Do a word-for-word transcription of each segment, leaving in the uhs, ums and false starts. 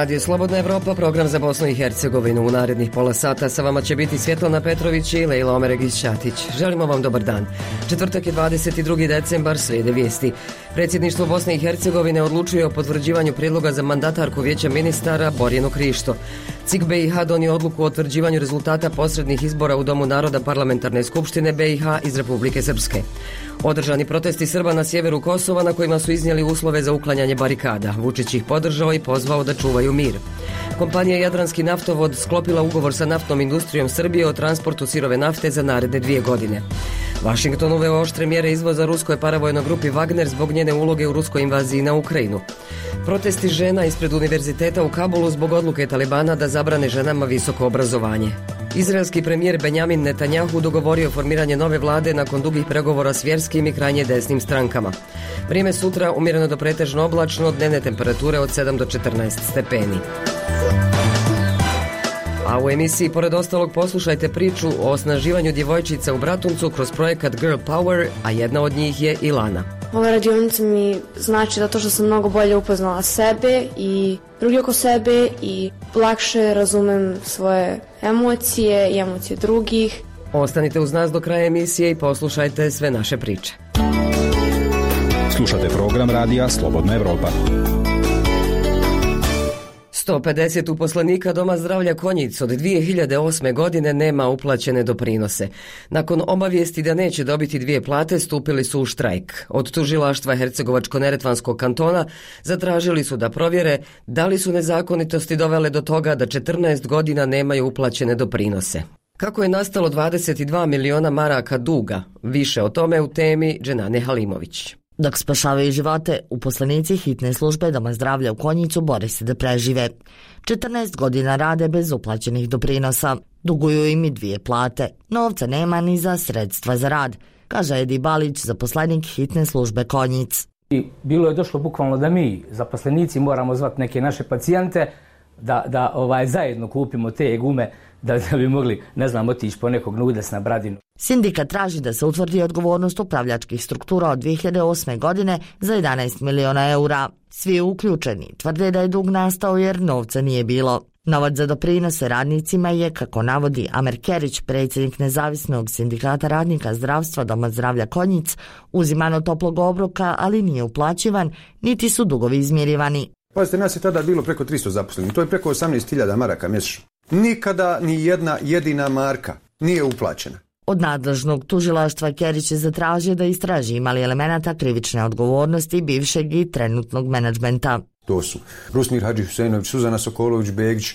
Radio Slobodna Evropa, program za Bosnu i Hercegovinu. U narednih pola sata sa vama će biti Svjetlana Petrović i Lejla Omeregić-Ćatić. Želimo vam dobar dan. Četvrtak je dvadeset drugi decembar, slijede vijesti. Predsjedništvo Bosne i Hercegovine odlučuje o potvrđivanju prijedloga za mandatarku Vijeća ministara Borjanu Krišto. C I K B i H donio odluku o utvrđivanju rezultata posrednih izbora u Domu naroda Parlamentarne skupštine B i H iz Republike Srpske. Održani protesti Srba na sjeveru Kosova na kojima su iznijeli uslove za uklanjanje barikada. Vučić ih podržao i pozvao da čuvaju mir. Kompanija Jadranski naftovod sklopila ugovor sa naftnom industrijom Srbije o transportu sirove nafte za naredne dvije godine. Washington uveo oštre mjere izvoza ruskoj paravojnoj grupi Wagner zbog njene uloge u ruskoj invaziji na Ukrajinu. Protesti žena ispred univerziteta u Kabulu zbog odluke Talibana da zabrane ženama visoko obrazovanje. Izraelski premijer Benjamin Netanjahu dogovorio formiranje nove vlade nakon dugih pregovora s vjerskim i krajnje desnim strankama. Vrijeme sutra umjereno do pretežno oblačno, dnevne temperature od sedam do četrnaest stepeni. A u emisiji, pored ostalog, poslušajte priču o osnaživanju djevojčica u Bratuncu kroz projekat Girl Power, a jedna od njih je i Lana. Ova radionica mi znači zato što sam mnogo bolje upoznala sebe i drugi oko sebe i lakše razumem svoje emocije i emocije drugih. Ostanite uz nas do kraja emisije i poslušajte sve naše priče. Slušate program radija Slobodna Evropa. sto pedeset uposlenika Doma zdravlja Konjic od dvije hiljade osme. godine nema uplaćene doprinose. Nakon obavijesti da neće dobiti dvije plate, stupili su u štrajk. Od tužilaštva Hercegovačko-neretvanskog kantona zatražili su da provjere da li su nezakonitosti dovele do toga da četrnaest godina nemaju uplaćene doprinose. Kako je nastalo dvadeset dva miliona maraka duga? Više o tome u temi Dženane Halimović. Dok spašavaju živote, uposlenici hitne službe Doma zdravlja u Konjicu bore se da prežive. četrnaest godina rade bez uplaćenih doprinosa. Duguju im i dvije plate. Novca nema ni za sredstva za rad, kaže Edi Balić, zaposlenik hitne službe Konjic. I bilo je došlo bukvalno da mi, zaposlenici, moramo zvati neke naše pacijente da, da ovaj, zajedno kupimo te gume da, da bi mogli, ne znam, otići po nekog nudes na Bradinu. Sindikat traži da se utvrdi odgovornost upravljačkih struktura od dvije hiljade osme. godine za jedanaest miliona eura. Svi uključeni tvrde da je dug nastao jer novca nije bilo. Novac za doprinose radnicima je, kako navodi Amer Kerić, predsjednik nezavisnog sindikata radnika zdravstva Doma zdravlja Konjic, uziman od toplog obroka, ali nije uplaćivan, niti su dugovi izmirivani. Pazite, nas je tada bilo preko tristo zaposlenih, to je preko osamnaest hiljada maraka mjesečno. Nikada ni jedna jedina marka nije uplaćena. Od nadležnog tužilaštva Kerić je zatražio da istraži imali elemenata krivične odgovornosti bivšeg i trenutnog menadžmenta. To su Rusmir Hadžihuseinović, Suzana Sokolović-Begić,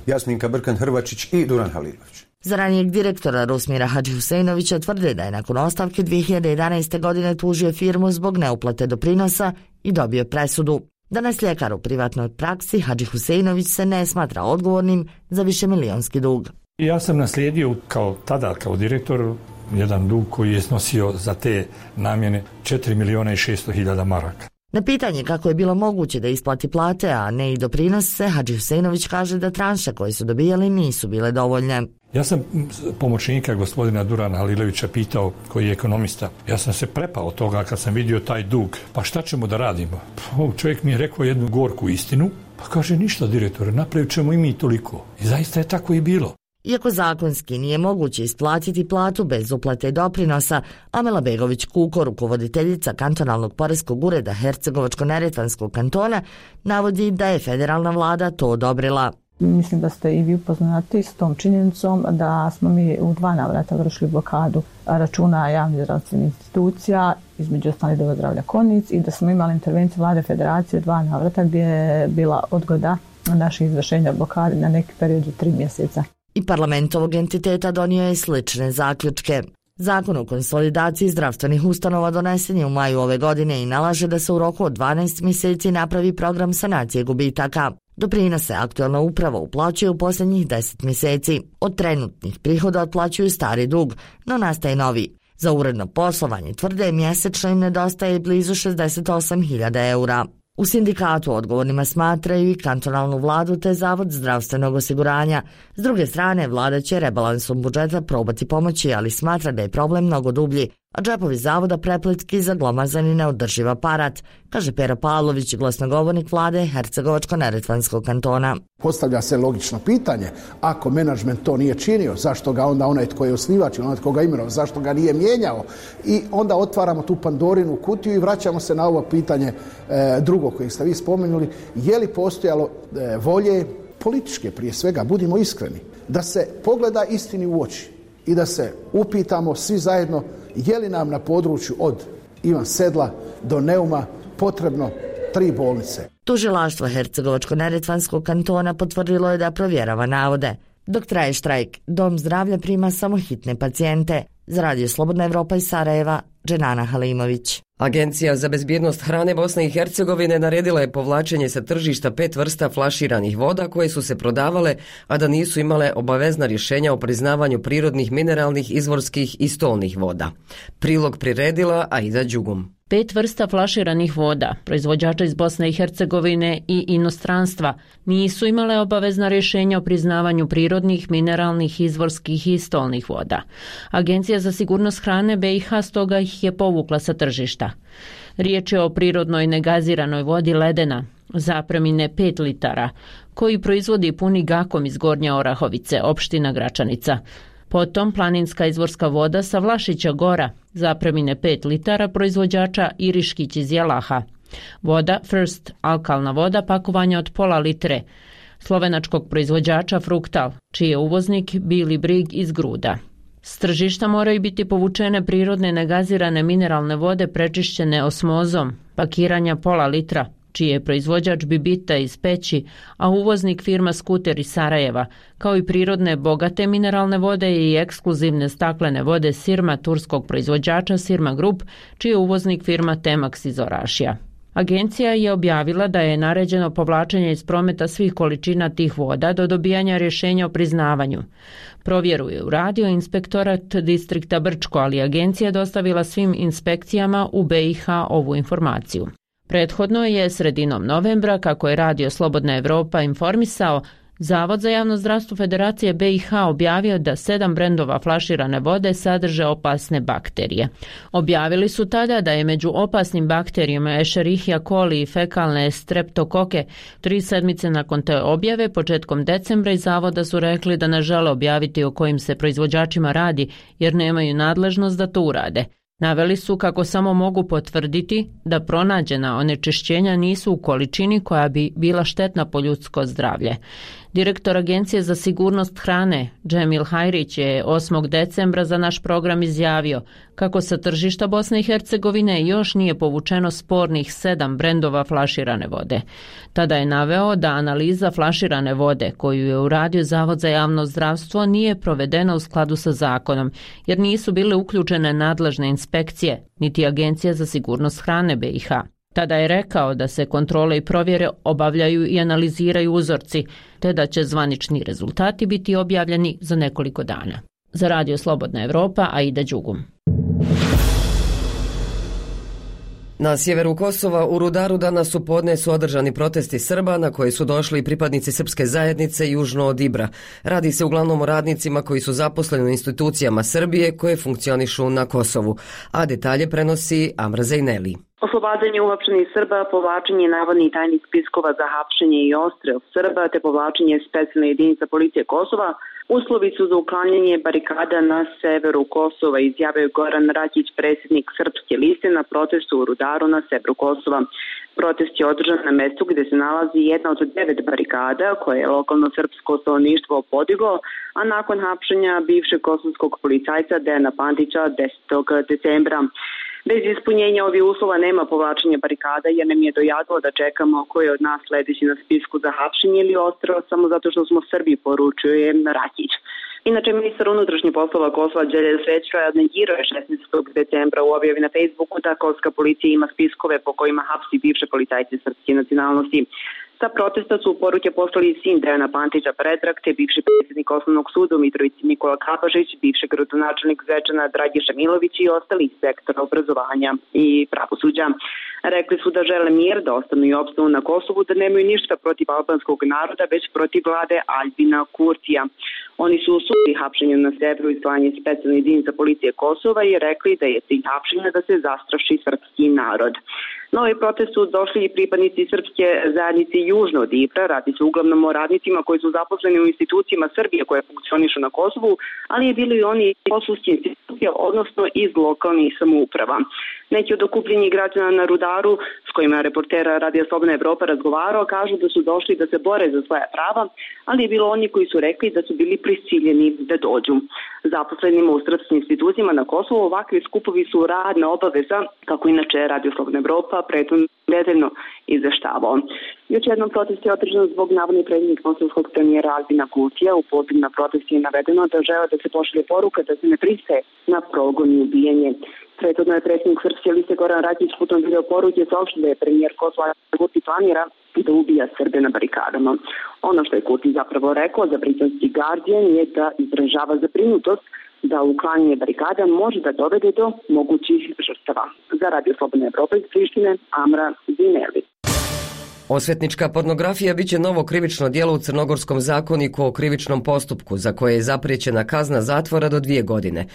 Jasminka Brkan-Hrvačić i Duran Halilović. Za ranijeg direktora Rusmira Hadžihuseinovića tvrde da je nakon ostavke dvije hiljade jedanaeste. godine tužio firmu zbog neuplate doprinosa i dobio presudu. Danas ljekar u privatnoj praksi Hadžihuseinović se ne smatra odgovornim za višemilijonski dug. Ja sam naslijedio kao tada, kao direktor, jedan dug koji je snosio za te namjene četiri miliona i šesto hiljada maraka. Na pitanje kako je bilo moguće da isplati plate, a ne i doprinose, Hadžihuseinović kaže da tranše koje su dobijali nisu bile dovoljne. Ja sam pomoćnika gospodina Durana Halilovića pitao, koji je ekonomista. Ja sam se prepao toga kad sam vidio taj dug. Pa šta ćemo da radimo? Pa, čovjek mi je rekao jednu gorku istinu. Pa kaže, ništa direktore, napravit ćemo i mi toliko. I zaista je tako i bilo. Iako zakonski nije moguće isplatiti platu bez uplate doprinosa, Amela Begović-Kuko, rukovoditeljica kantonalnog poreskog ureda Hercegovačko-neretvanskog kantona, navodi da je federalna vlada to odobrila. Mislim da ste i vi upoznati s tom činjenicom da smo mi u dva navrata vršili blokadu računa javnih zdravstvenih institucija, između ostalih Doma zdravlja Konjic, i da smo imali intervenciju vlade federacije dva navrata gdje je bila odgoda naših izvršenja blokade na neki period od tri mjeseca. I parlament ovog entiteta donio je slične zaključke. Zakon o konsolidaciji zdravstvenih ustanova donesen je u maju ove godine i nalaže da se u roku od dvanaest mjeseci napravi program sanacije gubitaka. Doprinose aktualna uprava uplaćuje u posljednjih deset mjeseci. Od trenutnih prihoda otplaćuju stari dug, no nastaje novi. Za uredno poslovanje tvrde mjesečno im nedostaje blizu šezdeset osam hiljada eura. U sindikatu odgovornima smatraju i kantonalnu vladu te Zavod zdravstvenog osiguranja. S druge strane, vlada će rebalansom budžeta probati pomoći, ali smatra da je problem mnogo dublji, a džepovi zavoda prepletki za glomazan i neodrživ aparat, kaže Pera Pavlović, glasnogovornik vlade Hercegovačko-neretvanskog kantona. Postavlja se logično pitanje, ako menadžment to nije činio, zašto ga onda onaj tko je osnivač ili onaj tko ga imenovao, zašto ga nije mijenjao? I onda otvaramo tu Pandorinu kutiju i vraćamo se na ovo pitanje e, drugo koje ste vi spomenuli. Je li postojalo e, volje političke prije svega, budimo iskreni, da se pogleda istini u oči i da se upitamo svi zajedno je li nam na području od Ivan Sedla do Neuma potrebno tri bolnice. Tužilaštvo Hercegovačko-neretvanskog kantona potvrdilo je da provjerava navode. Dok traje štrajk, Dom zdravlja prima samo hitne pacijente. Za Radio Slobodna Evropa iz Sarajeva, Dženana Halimović. Agencija za bezbjednost hrane Bosne i Hercegovine naredila je povlačenje sa tržišta pet vrsta flaširanih voda koje su se prodavale, a da nisu imale obavezna rješenja o priznavanju prirodnih, mineralnih, izvorskih i stolnih voda. Prilog priredila Aida Đugum. Pet vrsta flaširanih voda, proizvođača iz Bosne i Hercegovine i inostranstva, nisu imale obavezna rješenja o priznavanju prirodnih, mineralnih, izvorskih i stolnih voda. Agencija za sigurnost hrane B i H stoga ih je povukla sa tržišta. Riječ je o prirodnoj negaziranoj vodi Ledena, zapremine pet litara, koji proizvodi puni Gakom iz Gornje Orahovice, opština Gračanica. Potom planinska izvorska voda sa Vlašića Gora, zapremine pet litara, proizvođača Iriškić iz Jelaha. Voda First, alkalna voda, pakovanja od pola litre, slovenačkog proizvođača Fruktal, čiji je uvoznik Bili Brig iz Gruda. S tržišta moraju biti povučene prirodne negazirane mineralne vode prečišćene osmozom, pakiranja pola litra, čiji je proizvođač Bibita iz Peći, a uvoznik firma Skuter iz Sarajeva, kao i prirodne bogate mineralne vode i ekskluzivne staklene vode Sirma turskog proizvođača Sirma Group, čiji je uvoznik firma Temax iz Orašija. Agencija je objavila da je naređeno povlačenje iz prometa svih količina tih voda do dobijanja rješenja o priznavanju. Provjeru je uradio inspektorat distrikta Brčko, ali agencija je dostavila svim inspekcijama u B i H ovu informaciju. Prethodno je sredinom novembra, kako je Radio Slobodna Evropa informisao, Zavod za javno zdravstvo Federacije B i H objavio da sedam brendova flaširane vode sadrže opasne bakterije. Objavili su tada da je među opasnim bakterijama Escherichia coli i fekalne streptokoke. Tri sedmice nakon te objave, početkom decembra, iz zavoda su rekli da ne žele objaviti o kojim se proizvođačima radi, jer nemaju nadležnost da to urade. Naveli su kako samo mogu potvrditi da pronađena onečišćenja nisu u količini koja bi bila štetna po ljudsko zdravlje. Direktor Agencije za sigurnost hrane Džemil Hajrić je osmog decembra za naš program izjavio kako sa tržišta Bosne i Hercegovine još nije povučeno spornih sedam brendova flaširane vode. Tada je naveo da analiza flaširane vode koju je uradio Zavod za javno zdravstvo nije provedena u skladu sa zakonom, jer nisu bile uključene nadležne inspekcije, niti Agencija za sigurnost hrane B i H. Tada je rekao da se kontrole i provjere obavljaju i analiziraju uzorci, te da će zvanični rezultati biti objavljeni za nekoliko dana. Za Radio Slobodna Evropa, Aida Đugum. Na sjeveru Kosova u Rudaru danas u podne su održani protesti Srba na koji su došli pripadnici srpske zajednice južno od Ibra. Radi se uglavnom o radnicima koji su zaposleni u institucijama Srbije koje funkcionišu na Kosovu, a detalje prenosi Amra Zejneli. Oslobađanje uhapšenih Srba, povlačenje navodnih tajnih spiskova za hapšenje i odstrel Srba te povlačenje specijalne jedinice policije Kosova uslovi su za uklanjanje barikada na severu Kosova, izjavio Goran Rakić, predsjednik Srpske liste na protestu u Rudaru na severu Kosova. Protest je održan na mestu gdje se nalazi jedna od devet barikada koje je lokalno srpsko stanovništvo podiglo, a nakon hapšenja bivšeg kosovskog policajca Dejana Pantića desetog decembra. Bez ispunjenja ovih uslova nema povlačenja barikada, jer nam je dojadilo da čekamo koji je od nas sledeći na spisku za hapšenje ili odstrel samo zato što smo Srbi, poručuje Rakić. Inače, ministar unutrašnjih poslova Kosova Đelja Svećra negirao je šesnaestog decembra u objavi na Facebooku da kosovska policija ima spiskove po kojima hapsi bivše policajce srpske nacionalnosti. Sa protesta su poruke poslali sin Dejana Pantića Predrag, te bivši predsjednik Osnovnog suda u Mitrovici Nikola Kapažić, bivši gradonačelnik Zvečana Dragiša Milović i ostali iz sektora obrazovanja i pravosuđa. Rekli su da žele mir, da ostanu i opstanu na Kosovu, da nemaju ništa protiv albanskog naroda, već protiv vlade Aljbina Kurtija. Oni su osudili hapšenje na severu i slanje specijalne jedinice policije Kosova i rekli da je cilj hapšenja da se zastraši srpski narod. Na ovaj protest su došli i pripadnici srpske zajednice južno od Ibra. Radi se uglavnom o radnicima koji su zaposleni u institucijama Srbije koje funkcionišu na Kosovu, ali je bilo i oni kosovski institucije, odnosno iz lokalnih samouprava. Neki od okupljenih građana na Rudaru, s kojima reportera Radija Slobodna Evropa razgovarao, kažu da su došli da se bore za svoja prava, ali je bilo oni koji su rekli da su bili prisiljeni da dođu. Zaposlenima u srpskim institucijama na Kosovu ovakvi skupovi su radna obaveza, kako inače Radio Slobodna Evropa prethodno detaljno izveštavao. Još jednom protest je održan zbog navodnih prednjih kosovskog premijera Aljbina Kurtija. U pozivu na protest je navedeno da žele da se pošalje poruka da se ne pristaje na progon i ubijanje. Prethodno je predsjednik Srpske liste Goran Rakić putem video poruke saopštio da je premijer Kosova Kurti planira da ubija Srbe na barikadama. Ono što je Kurti zapravo rekao za britanski Guardian je da izražava zabrinutost da uklanjanje barikada može da dovede do mogućih žrtava. Za Radio Slobodna Evropa iz Prištine, Amra Zineli. Osvetnička pornografija biće novo krivično djelo u Crnogorskom zakoniku o krivičnom postupku, za koje je zapriječena kazna zatvora do dvije godine.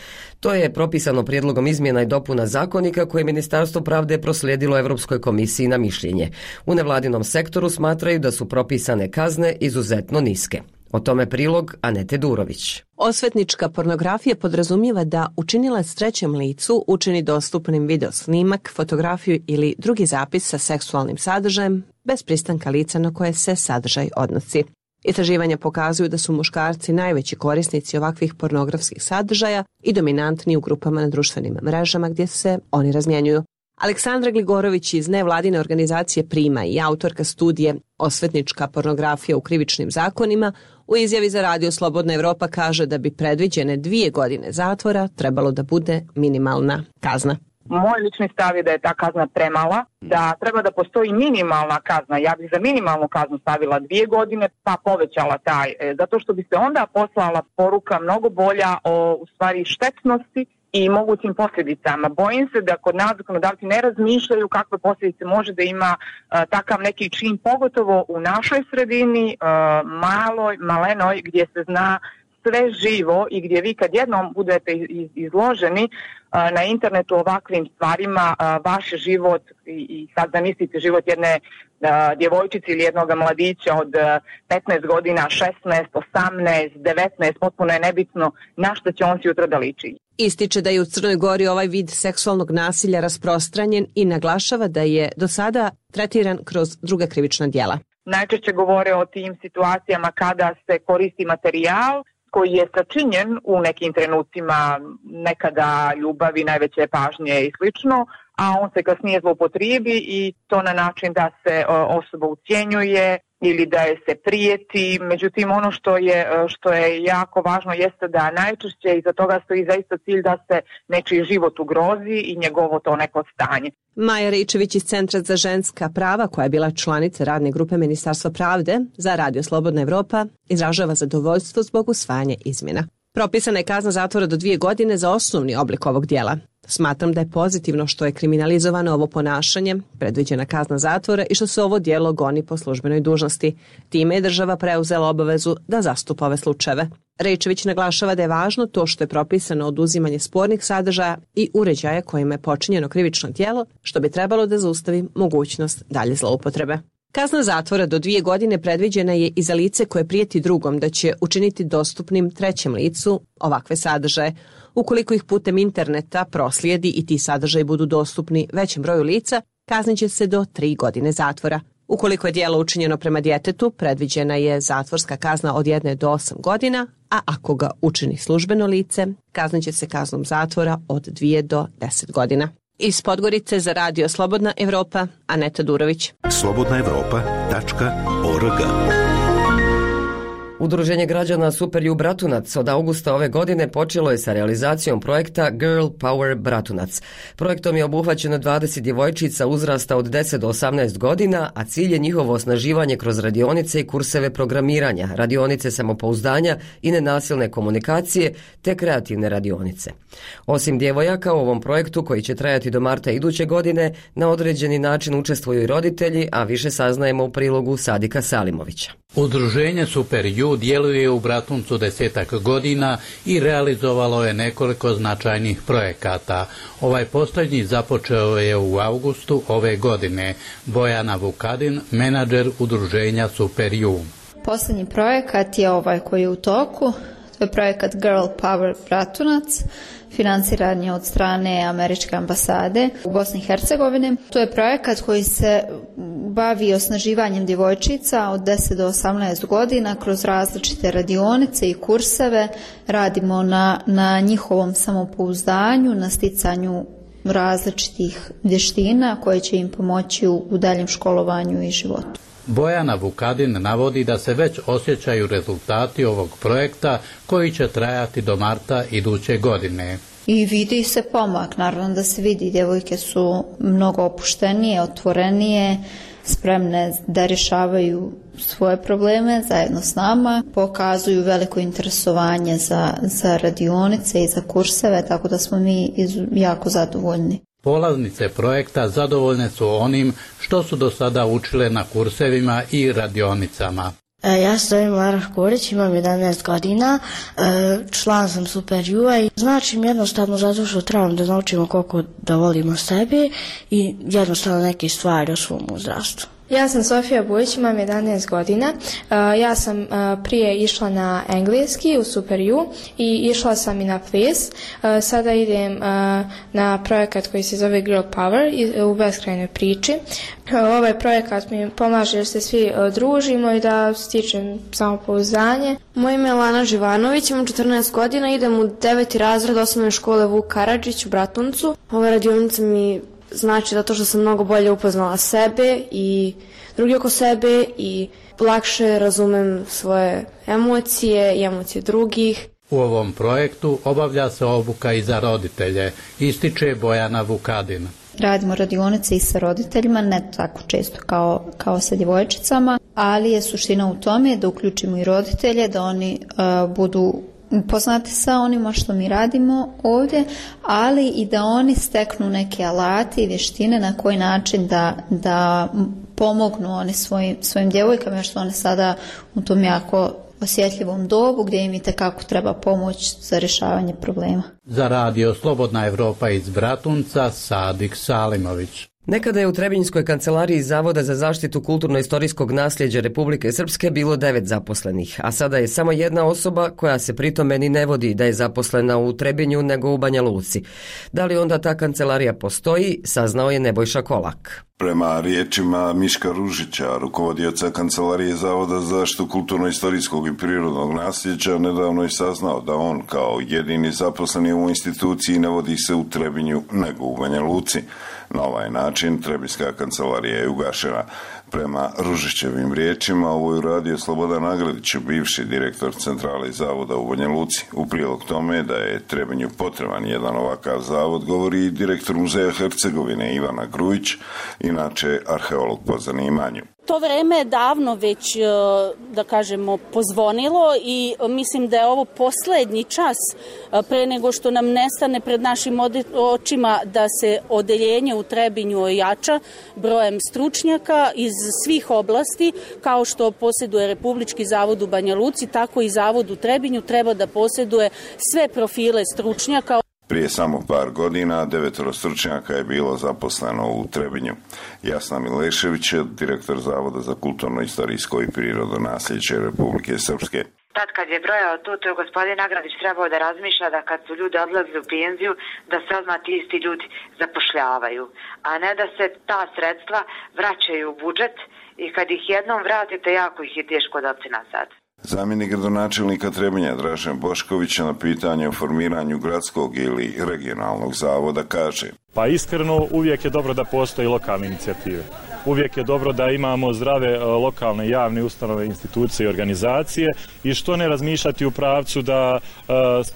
To je propisano prijedlogom izmjena i dopuna zakonika koje je Ministarstvo pravde proslijedilo Europskoj komisiji na mišljenje. U nevladinom sektoru smatraju da su propisane kazne izuzetno niske. O tome prilog Anete Durović. Osvetnička pornografija podrazumijeva da učinilac trećem licu učini dostupnim video snimak, fotografiju ili drugi zapis sa seksualnim sadržajem bez pristanka lica na koje se sadržaj odnosi. Istraživanja pokazuju da su muškarci najveći korisnici ovakvih pornografskih sadržaja i dominantni u grupama na društvenim mrežama gdje se oni razmjenjuju. Aleksandra Gligorović iz nevladine organizacije Prima i autorka studije Osvetnička pornografija u krivičnim zakonima u izjavi za Radio Slobodna Evropa kaže da bi predviđene dvije godine zatvora trebalo da bude minimalna kazna. Moj lični stav je da je ta kazna premala, da treba da postoji minimalna kazna. Ja bih za minimalnu kaznu stavila dvije godine pa povećala taj, zato što bi se onda poslala poruka mnogo bolja o u stvari štetnosti i mogućim posljedicama. Bojim se da kod nas zakonodavci ne razmišljaju kakve posljedice može da ima uh, takav neki čin, pogotovo u našoj sredini, uh, maloj, malenoj, gdje se zna sve živo i gdje vi kad jednom budete iz, izloženi uh, na internetu ovakvim stvarima, uh, vaš život i, i sad zamislite život jedne uh, djevojčice ili jednog mladića od uh, petnaest godina, šesnaest, osamnaest, devetnaest, potpuno je nebitno na što će on si jutro da liči. Ističe da je u Crnoj Gori ovaj vid seksualnog nasilja rasprostranjen i naglašava da je do sada tretiran kroz druga krivična djela. Najčešće govore o tim situacijama kada se koristi materijal koji je sačinjen u nekim trenucima nekada ljubavi, najveće pažnje i slično, a on se kasnije zloupotrijebi i to na način da se osoba ucjenjuje ili da je se prijeti. Međutim, ono što je, što je jako važno jeste da najčešće iza toga stoji zaista cilj da se nečiji život ugrozi i njegovo to neko stanje. Maja Ričević iz Centra za ženska prava, koja je bila članica radne grupe Ministarstva pravde za Radio Slobodna Evropa, izražava zadovoljstvo zbog usvajanja izmjena. Propisana je kazna zatvora do dvije godine za osnovni oblik ovog dijela. Smatram da je pozitivno što je kriminalizovano ovo ponašanje, predviđena kazna zatvora i što se ovo djelo goni po službenoj dužnosti. Time je država preuzela obavezu da zastupa ove slučajeve. Rejčević naglašava da je važno to što je propisano oduzimanje spornih sadržaja i uređaja kojima je počinjeno krivično djelo, što bi trebalo da zaustavi mogućnost dalje zloupotrebe. Kazna zatvora do dvije godine predviđena je i za lice koje prijeti drugom da će učiniti dostupnim trećem licu ovakve sadržaje. Ukoliko ih putem interneta proslijedi i ti sadržaji budu dostupni većem broju lica, kaznit će se do tri godine zatvora. Ukoliko je djelo učinjeno prema djetetu, predviđena je zatvorska kazna od jedne do osam godina, a ako ga učini službeno lice, kaznit će se kaznom zatvora od dvije do deset godina. Iz Podgorice za Radio Slobodna Evropa, Aneta Durović. slobodna evropa tačka org Udruženje građana Super U Bratunac od augusta ove godine počelo je sa realizacijom projekta Girl Power Bratunac. Projektom je obuhvaćeno dvadeset djevojčica uzrasta od deset do osamnaest godina, a cilj je njihovo osnaživanje kroz radionice i kurseve programiranja, radionice samopouzdanja i nenasilne komunikacije te kreativne radionice. Osim djevojaka u ovom projektu koji će trajati do marta iduće godine, na određeni način učestvuju i roditelji, a više saznajemo u prilogu Sadika Salimovića. Udruženje Super U djeluje u Bratuncu desetak godina i realizovalo je nekoliko značajnih projekata. Ovaj posljednji započeo je u augustu ove godine. Bojana Vukadin, menadžer udruženja Super U. Posljednji projekat je ovaj koji je u toku. To je projekat Girl Power Bratunac. Financiran je od strane Američke ambasade u Bosni i Hercegovini. To je projekat koji se bavi osnaživanjem djevojčica od deset do osamnaest godina kroz različite radionice i kurseve. Radimo na, na njihovom samopouzdanju, na sticanju različitih vještina koje će im pomoći u, u daljem školovanju i životu. Bojana Vukadin navodi da se već osjećaju rezultati ovog projekta koji će trajati do marta iduće godine. I vidi se pomak, naravno da se vidi, djevojke su mnogo opuštenije, otvorenije, spremne da rješavaju svoje probleme zajedno s nama, pokazuju veliko interesovanje za, za radionice i za kurseve, tako da smo mi jako zadovoljni. Polaznice projekta zadovoljne su onim što su do sada učile na kursevima i radionicama. Ja se zovem Lara Škorić, imam jedanaest godina, član sam Super U-a i znači mi jednostavno zato što trebam da naučimo koliko da volimo sebe i jednostavno neke stvari o svom uzrastu. Ja sam Sofija Bujić, imam jedanaest godina. Ja sam prije išla na engleski u Super U i išla sam i na ples. Sada idem na projekat koji se zove Girl Power u beskrajnoj priči. Ovaj projekat mi pomaže jer se svi družimo i da stičem samopouzdanje. Moje ime je Lana Živanović, imam četrnaest godina, idem u deveti razred osnovne škole Vuk Karadžić u Bratuncu. Ova radionica mi znači zato što sam mnogo bolje upoznala sebe i drugi oko sebe i lakše razumem svoje emocije i emocije drugih. U ovom projektu obavlja se obuka i za roditelje, ističe Bojana Vukadin. Radimo radionice i sa roditeljima, ne tako često kao, kao sa djevojčicama, ali je suština u tome da uključimo i roditelje, da oni uh, budu upoznati sa onima što mi radimo ovdje, ali i da oni steknu neke alate i vještine na koji način da, da pomognu oni svojim, svojim djevojkama, što one sada u tom jako osjetljivom dobu gdje im itekako treba pomoć za rješavanje problema. Za radio Slobodna Evropa iz Bratunca, Sadik Salimović. Nekada je u Trebinjskoj kancelariji Zavoda za zaštitu kulturno-istorijskog nasljeđa Republike Srpske bilo devet zaposlenih, a sada je samo jedna osoba koja se pritome ni ne vodi da je zaposlena u Trebinju nego u Banja Luci. Da li onda ta kancelarija postoji, saznao je Nebojša Kolak. Prema riječima Miška Ružića, rukovodioca Kancelarije Zavoda za zaštitu kulturno-istorijskog i prirodnog nasljeđa, nedavno je saznao da on kao jedini zaposleni u instituciji ne vodi se u Trebinju nego u Banja Luci. Na ovaj način Trebinjska kancelarija je ugašena. Prema Ružićevim riječima, ovo je uradio Slobodan Nagradić, bivši direktor Centrale Zavoda u Banja Luci. U prilog tome da je Trebinju potreban jedan ovakav zavod, govori i direktor Muzeja Hercegovine Ivana Grujić, inače arheolog po zanimanju. To vreme je davno već, da kažemo, pozvonilo i mislim da je ovo posljednji čas pre nego što nam nestane pred našim očima da se odeljenje u Trebinju ojača brojem stručnjaka iz svih oblasti, kao što posjeduje Republički zavod u Banja Luci, tako i zavod u Trebinju treba da posjeduje sve profile stručnjaka. Prije samo par godina devetoro stručnjaka je bilo zaposleno u Trebinju. Jasna Milešević je direktor Zavoda za kulturno-istorijsko i prirodno nasljeđe Republike Srpske. Tad kad je brojao to, to je gospodin Nagradić trebao da razmišlja da kad su ljudi odlazili u penziju, da se odmah ti isti ljudi zapošljavaju, a ne da se ta sredstva vraćaju u budžet i kad ih jednom vratite, jako ih je teško dati nazad. Zamjenik gradonačelnika Trebinja Dražen Bošković na pitanje o formiranju gradskog ili regionalnog zavoda kaže: Pa iskreno uvijek je dobro da postoji lokalne inicijative. uvijek je dobro da imamo zdrave lokalne javne ustanove, institucije i organizacije i što ne razmišljati u pravcu da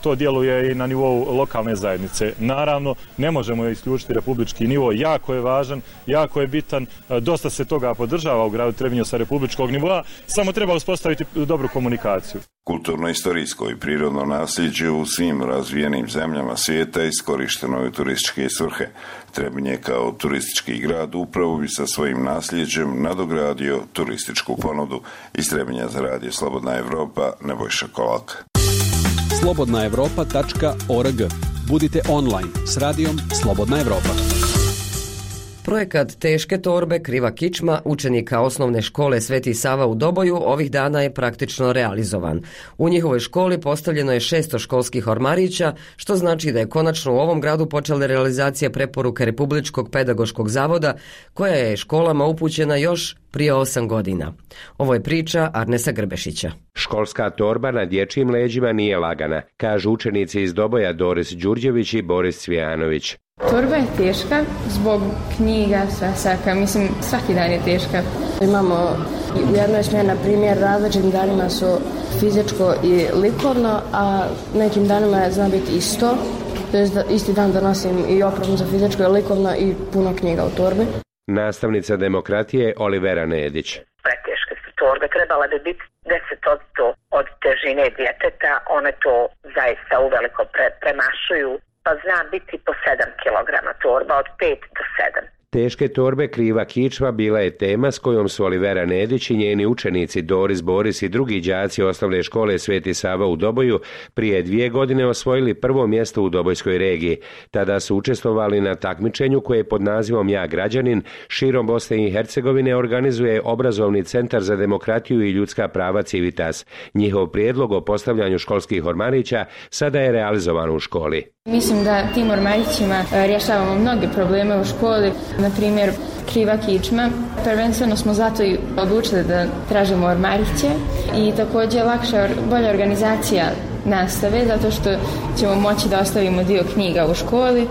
to djeluje i na nivou lokalne zajednice. Naravno, ne možemo isključiti republički nivo, jako je važan, jako je bitan, dosta se toga podržava u gradu Trebinju sa republičkog nivoa, samo treba uspostaviti dobru komunikaciju. Kulturno-istorijsko i prirodno nasljeđe u svim razvijenim zemljama svijeta iskorišteno je u turističke svrhe. Trebinje kao turistički grad upravo bi sa svojim nasljeđem nadogradio turističku ponudu. Iz Trebinja za radio Slobodna Evropa, Nebojša Kolak. slobodna evropa tačka org. Budite online s radijom Slobodna Evropa. Projekat Teške torbe, kriva kičma učenika osnovne škole Sveti Sava u Doboju ovih dana je praktično realizovan. U njihovoj školi postavljeno je šesto školskih ormarića, što znači da je konačno u ovom gradu počela realizacija preporuke Republičkog pedagoškog zavoda, koja je školama upućena još prije osam godina. Ovo je priča Arnesa Grbešića. Školska torba na dječjim leđima nije lagana, kažu učenici iz Doboja Doris Đurđević i Boris Cvijanović. Torba je teška zbog knjiga, svesaka, mislim svaki dan je teška. Imamo u jednoj smjeni, na primjer, različitim danima su fizičko i likovno, a nekim danima zna biti isto. To je isti dan donosim i opremu za fizičko i likovno i puno knjiga u torbi. Nastavnica demokratije Olivera Nedić. Preteške su torbe, trebala bi biti deset posto od težine djeteta, one to zaista uveliko pre, premašuju. Pa zna biti po sedam kilograma torba, od pet do sedam. Teške torbe kriva kičma bila je tema s kojom su Olivera Nedić i njeni učenici Doris, Boris i drugi đaci osnovne škole Sveti Sava u Doboju prije dvije godine osvojili prvo mjesto u Dobojskoj regiji. Tada su učestvovali na takmičenju koje pod nazivom Ja građanin širom Bosne i Hercegovine organizuje obrazovni centar za demokratiju i ljudska prava Civitas. Njihov prijedlog o postavljanju školskih ormarića sada je realizovan u školi. Mislim da tim ormarićima rješavamo mnoge probleme u školi, na primjer kriva kičma. Prvenstveno smo zato i odlučili da tražimo ormariće i također lakša, bolja organizacija nastave, zato što ćemo moći da ostavimo dio knjiga u školi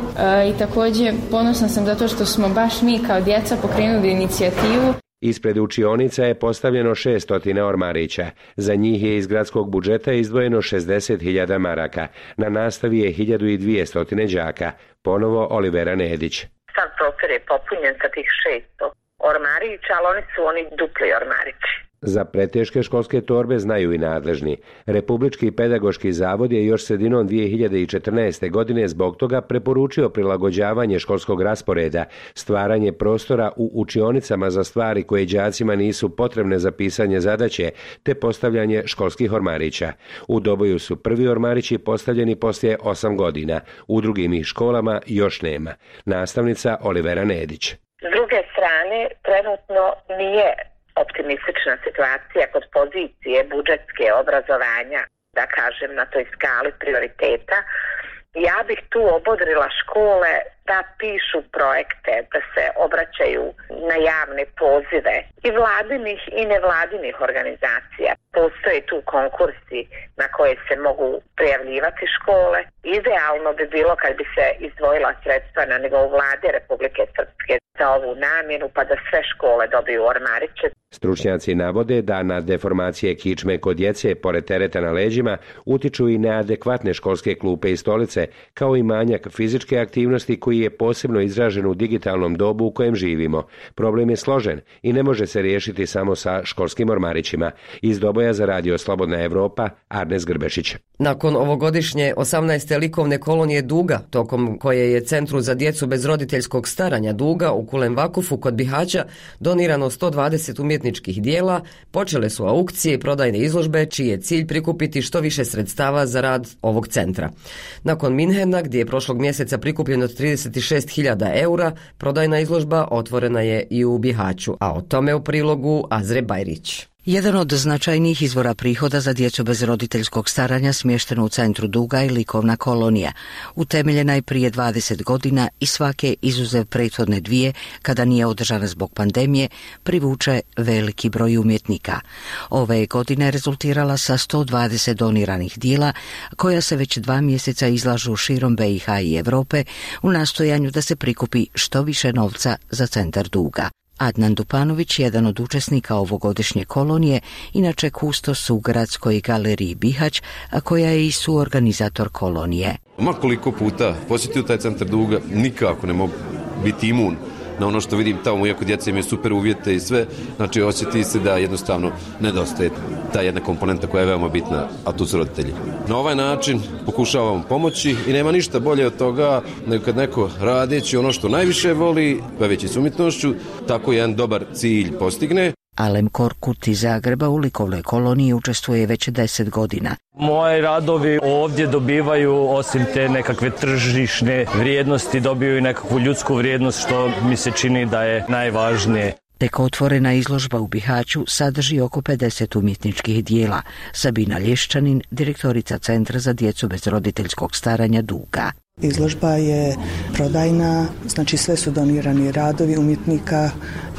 i također ponosna sam zato što smo baš mi kao djeca pokrenuli inicijativu. Ispred učionica je postavljeno šeststo ormarića. Za njih je iz gradskog budžeta izdvojeno šezdeset hiljada maraka. Na nastavi je hiljadu dvjesto đaka. Ponovo Olivera Nedić. Sam prostor je popunjen sa tih šesto ormarića, ali oni su oni dupli ormarići. Za preteške školske torbe znaju i nadležni. Republički pedagoški zavod je još sredinom dvije hiljade četrnaeste. godine zbog toga preporučio prilagođavanje školskog rasporeda, stvaranje prostora u učionicama za stvari koje đacima nisu potrebne za pisanje zadaće, te postavljanje školskih ormarića. U Doboju su prvi ormarići postavljeni poslije osam godina, u drugim ih školama još nema. Nastavnica Olivera Nedić. S druge strane, trenutno nije optimistična situacija kod pozicije budžetske obrazovanja, da kažem, na toj skali prioriteta. Ja bih tu obodrila škole da pišu projekte, da se obraćaju na javne pozive i vladinih i nevladinih organizacija. Postoje tu konkursi na koje se mogu prijavljivati škole. Idealno bi bilo kad bi se izdvojila sredstva na nivou vlade Republike Srpske za ovu namjenu, pa da sve škole dobiju ormariće. Stručnjaci navode da na deformacije kičme kod djece, pored tereta na leđima, utiču i neadekvatne školske klupe i stolice, kao i manjak fizičke aktivnosti koji je posebno izražen u digitalnom dobu u kojem živimo. Problem je složen i ne može se riješiti samo sa školskim ormarićima. Iz Doboja za radio Slobodna Evropa, Arnes Grbešić. Nakon ovogodišnje osamnaeste likovne kolonije Duga, tokom koje je Centru za djecu bez roditeljskog staranja Duga u Kulem Vakufu kod Bihaća donirano sto dvadeset umjetničkih dijela, počele su aukcije i prodajne izložbe, čiji je cilj prikupiti što više sredstava za rad ovog centra. Nakon Minhena, gdje je prošlog mjeseca prikupljeno trideset šest hiljada eura, prodajna izložba otvorena je i u Bihaću, a o tome u prilogu Azre Bajrić. Jedan od značajnijih izvora prihoda za djecu bez roditeljskog staranja smješteno u Centru Duga je likovna kolonija. Utemeljena je prije dvadeset godina i svake, izuzev prethodne dvije, kada nije održana zbog pandemije, privuče veliki broj umjetnika. Ove godine je rezultirala sa sto dvadeset doniranih dijela, koja se već dva mjeseca izlažu širom B i H i Europe u nastojanju da se prikupi što više novca za Centar Duga. Adnan Dupanović, jedan od učesnika ovogodišnje kolonije, inače kustos u Gradskoj galeriji Bihać, a koja je i suorganizator kolonije. Makoliko puta posjetio taj centar Duga, nikako ne mogu biti imun na ono što vidim tamo, iako djeca imaju super uvjete i sve, znači osjeti se da jednostavno nedostaje ta jedna komponenta koja je veoma bitna, a tu su roditelji. Na ovaj način pokušavamo pomoći i nema ništa bolje od toga nego kad neko radeći ono što najviše voli, baveći se umjetnošću, tako jedan dobar cilj postigne. Alem Korkut iz Zagreba u likovnoj koloniji učestvuje već deset godina. Moji radovi ovdje dobivaju, osim te nekakve tržišne vrijednosti, dobiju i nekakvu ljudsku vrijednost, što mi se čini da je najvažnije. Tek otvorena izložba u Bihaću sadrži oko pedeset umjetničkih dijela. Sabina Lješčanin, direktorica Centra za djecu bez roditeljskog staranja Duga. Izložba je prodajna, znači sve su donirani radovi umjetnika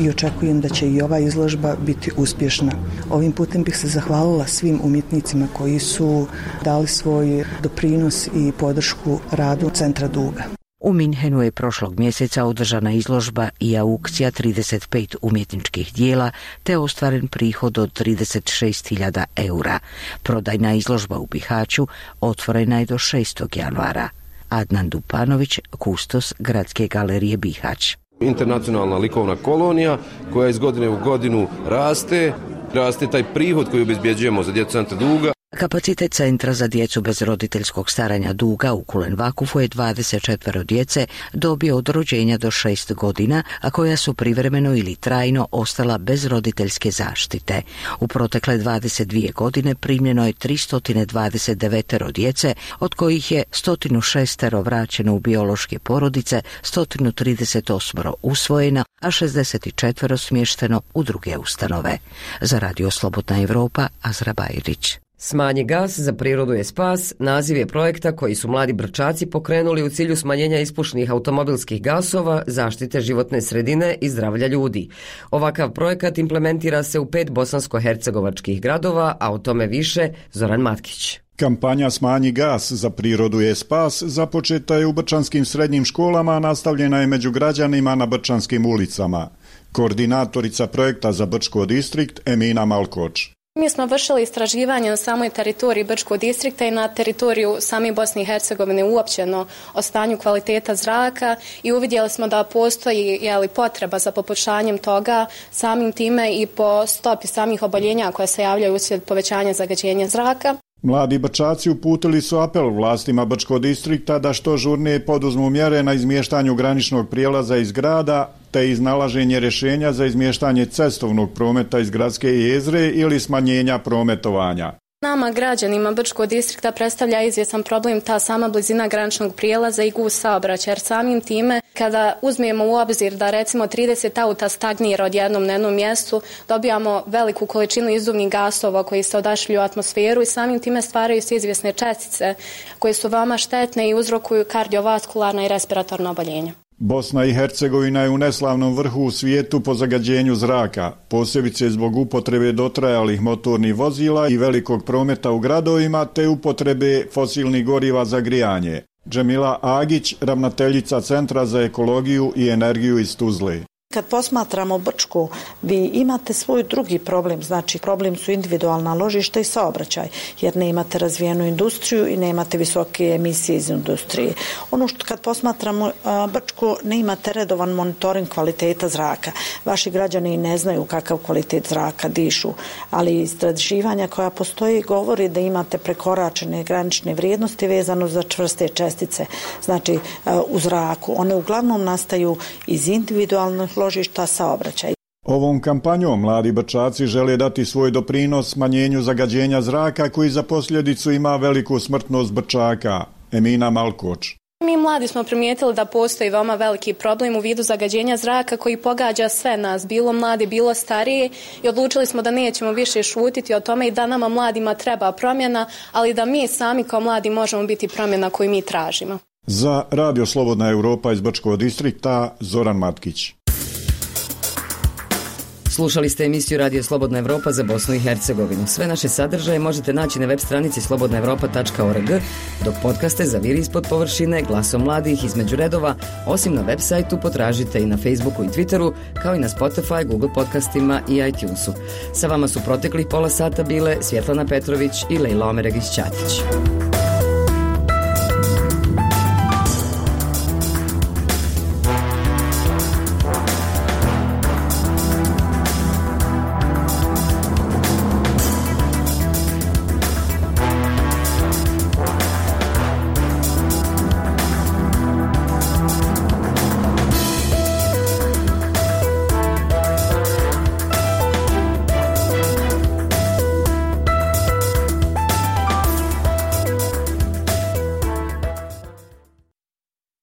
i očekujem da će i ova izložba biti uspješna. Ovim putem bih se zahvalila svim umjetnicima koji su dali svoj doprinos i podršku radu Centra Duga. U Minhenu je prošlog mjeseca održana izložba i aukcija trideset pet umjetničkih dijela te ostvaren prihod od trideset šest hiljada eura. Prodajna izložba u Bihaću otvorena je do šestog januara. Adnan Dupanović, kustos Gradske galerije Bihać. Internacionalna likovna kolonija koja iz godine u godinu raste, raste taj prihod koji obezbjeđujemo za djecu Centra Duga. Kapacitet Centra za djecu bez roditeljskog staranja Duga u Kulen-Vakufu je dvadeset četvero djece dobio od rođenja do šest godina, a koja su privremeno ili trajno ostala bez roditeljske zaštite. U protekle dvadeset dvije godine primljeno je tristo dvadeset devet djece, od kojih je sto šest vraćeno u biološke porodice, sto trideset osam usvojeno, a šezdeset četiri smješteno u druge ustanove. Za Radio Slobodna Evropa, Azra Bajrić. Smanji gas, za prirodu je spas, naziv je projekta koji su mladi Brčaci pokrenuli u cilju smanjenja ispušnih automobilskih gasova, zaštite životne sredine i zdravlja ljudi. Ovakav projekat implementira se u pet bosansko-hercegovačkih gradova, a o tome više Zoran Matkić. Kampanja Smanji gas, za prirodu je spas započeta je u brčanskim srednjim školama, a nastavljena je među građanima na brčanskim ulicama. Koordinatorica projekta za Brčko distrikt Emina Malkoč. Mi smo vršili istraživanje na samoj teritoriji Brčkog distrikta i na teritoriju same Bosne i Hercegovine uopćeno o stanju kvaliteta zraka i uvidjeli smo da postoji jeli, potreba za poboljšanjem toga, samim time i po stopi samih oboljenja koja se javljaju uslijed povećanja zagađenja zraka. Mladi Brčaci uputili su apel vlastima Brčkog distrikta da što žurnije poduzmu mjere na izmještanju graničnog prijelaza iz grada te iznalaženje rješenja za izmještanje cestovnog prometa iz gradske jezgre ili smanjenja prometovanja. Nama, građanima Brčkog distrikta, predstavlja izvjestan problem ta sama blizina graničnog prijelaza i gust saobraćaja, jer samim time kada uzmemo u obzir da recimo trideset auta stagnira odjednom na jednom mjestu, dobijamo veliku količinu izduvnih gasova koji se odašilju u atmosferu i samim time stvaraju se izvjesne čestice koje su veoma štetne i uzrokuju kardiovaskularna i respiratorna oboljenja. Bosna i Hercegovina je u neslavnom vrhu u svijetu po zagađenju zraka, posebice zbog upotrebe dotrajalih motornih vozila i velikog prometa u gradovima te upotrebe fosilnih goriva za grijanje. Džemila Agić, ravnateljica Centra za ekologiju i energiju iz Tuzle. Kad posmatramo Brčko, vi imate svoj drugi problem, znači problem su individualna ložišta i saobraćaj, jer ne imate razvijenu industriju i nemate visoke emisije iz industrije. Ono što kad posmatramo Brčko, ne imate redovan monitoring kvaliteta zraka. Vaši građani ne znaju kakav kvalitet zraka dišu, ali istraživanja koja postoji govori da imate prekoračene granične vrijednosti vezano za čvrste čestice, znači u zraku. One uglavnom nastaju iz individualnih ložišta saobraćaja. Ovom kampanjom mladi Brčaci žele dati svoj doprinos smanjenju zagađenja zraka koji za posljedicu ima veliku smrtnost Brčaka. Emina Malkoč. Mi mladi smo primijetili da postoji veoma veliki problem u vidu zagađenja zraka koji pogađa sve nas, bilo mladi, bilo starije, i odlučili smo da nećemo više šutiti o tome i da nama mladima treba promjena, ali da mi sami kao mladi možemo biti promjena koju mi tražimo. Za Radio Slobodna Evropa iz Brčkog distrikta, Zoran Matkić. Slušali ste emisiju Radio Slobodna Evropa za Bosnu i Hercegovinu. Sve naše sadržaje možete naći na web stranici slobodna evropa tačka org, dok podcaste za Viri ispod površine, Glasom mladih, Između redova, osim na web sajtu potražite i na Facebooku i Twitteru, kao i na Spotify, Google podcastima i iTunesu. Sa vama su proteklih pola sata bile Svjetlana Petrović i Lejla Omeregić-Ćatić.